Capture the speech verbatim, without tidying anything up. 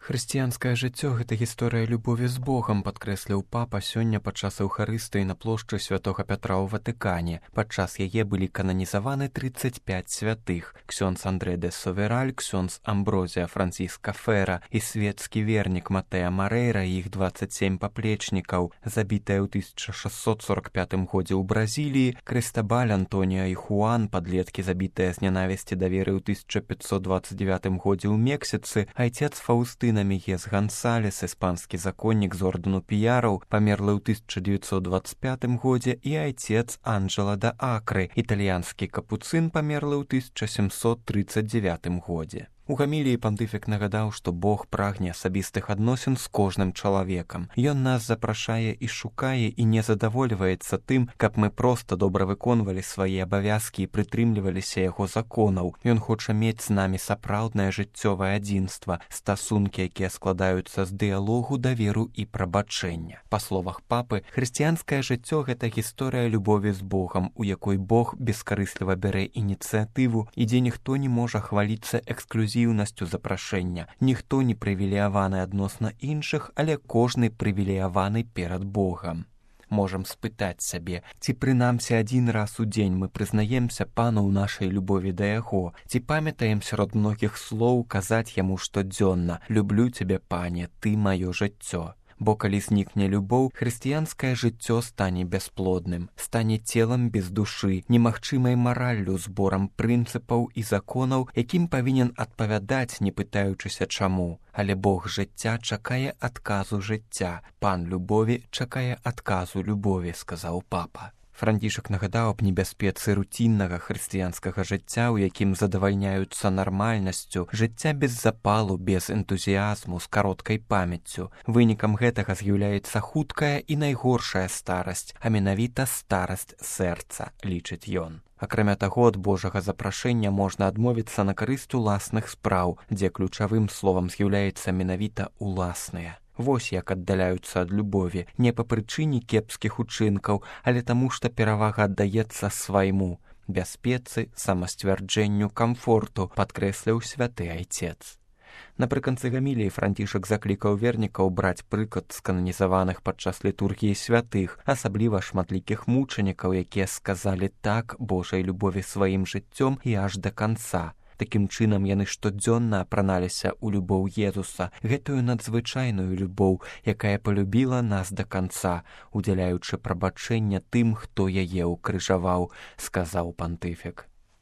Хрысціянскае жыццё — гэта гісторыя любові з Богам, падкрэсліў папа сёння падчас эўхарыстыі на плошчы святога Пятра ў Ватыкане. Падчас яе былі кананізаваны трыццаць пяць святых: ксёндз Андрэ де Совераль, ксёндз Амброзія Франциска Фера і свецкі вернік Матэа Марэйра і іх дваццаць сем паплечнікаў. Забітыя ў тысяча шэсцьсот сорок пятым годзе ў Бразіліі, Крыстабаль, Антоніа і Хуан, падлеткі, забітыя з нянавісці да веры ў тысяча пятьсот двадцать девятым годзе ў Мексіцы, айцец Фаўстына Мегес Гансалес, іспанскі законнік з ордэну піяраў, памерлы ў тысяча дзевяцьсот двадцать пятым годзе, і айцец Анджела да Акры, італьянскі капуцын, памерлы ў тысяча сямсот трыццаць девятым годзе. У гаміліі пантыфік нагадаў, што Бог прагне асабістых адносін з кожным чалавекам. Ён нас запрашае і шукае і не задавольваецца тым, каб мы проста добра выконвалі свае абавязкі і прытрымліваліся яго законаў. Ён хоча мець з намі сапраўднае жыццёвае адзінства, стасункі, якія складаюцца з дыялогу, даверу і прабачэння. Па словах папы, хрысціянскае жыццё — гэта гісторыя любові з Богам, у якой Бог бескарысліва бярэ ініцыятыву і дзе ніхто не можа хваліцца эксклюзівнасцю запрашэння. Ніхто не прывілеяваны адносна іншых, але кожны прывілеяваны перад Богам. Можам спытаць сябе, ці прынамсі адзін раз у дзень мы прызнаемся Пану ў нашай любові да яго, ці памятаем сярод многіх слоў казаць яму штодзённа: «Люблю цябе, Пане, ты маё жыццё». Бо калі знікне любоў, хрысціянскае жыццё стане бясплодным, стане целам без душы, немагчымай мараллю, зборам прынцыпаў і законаў, якім павінен адпавядаць, не пытаючыся чаму. Але Бог жыцця чакае адказу жыцця, Пан любові чакае адказу любові, сказаў папа. Францішак нагадаў аб небяспецы руціннага хрысціянскага жыцця, у якім задавальняюцца нармальнасцю, жыцця без запалу, без энтузіязму, з кароткай памяццю. Вынікам гэтага з'яўляецца хуткая і найгоршая старасць, а менавіта старасць сэрца, лічыць ён. Акрамя таго, ад Божага запрашэння можна адмовіцца на карысць уласных спраў, дзе ключавым словам з'яўляецца менавіта уласныя. Вось як аддаляюцца ад любові, не па прычыне кепскіх учынкаў, але таму, што перавага аддаецца свайму, бяспецы, самасцвярджэнню, камфорту, падкрэсліў святы айцец. Напрыканцы гаміліі Францішак заклікаў вернікаў браць прыклад з кананізаваных падчас літургіі святых, асабліва шматлікіх мучанікаў, якія сказалі так Божай любові сваім жыццём і аж да канца. Такім чынам яны штодзённа апраналіся ў любоў Езуса, гэтую надзвычайную любоў, якая палюбіла нас да канца, удзяляючы прабачэння тым, хто яе ўкрыжаваў, сказаў пантыфік.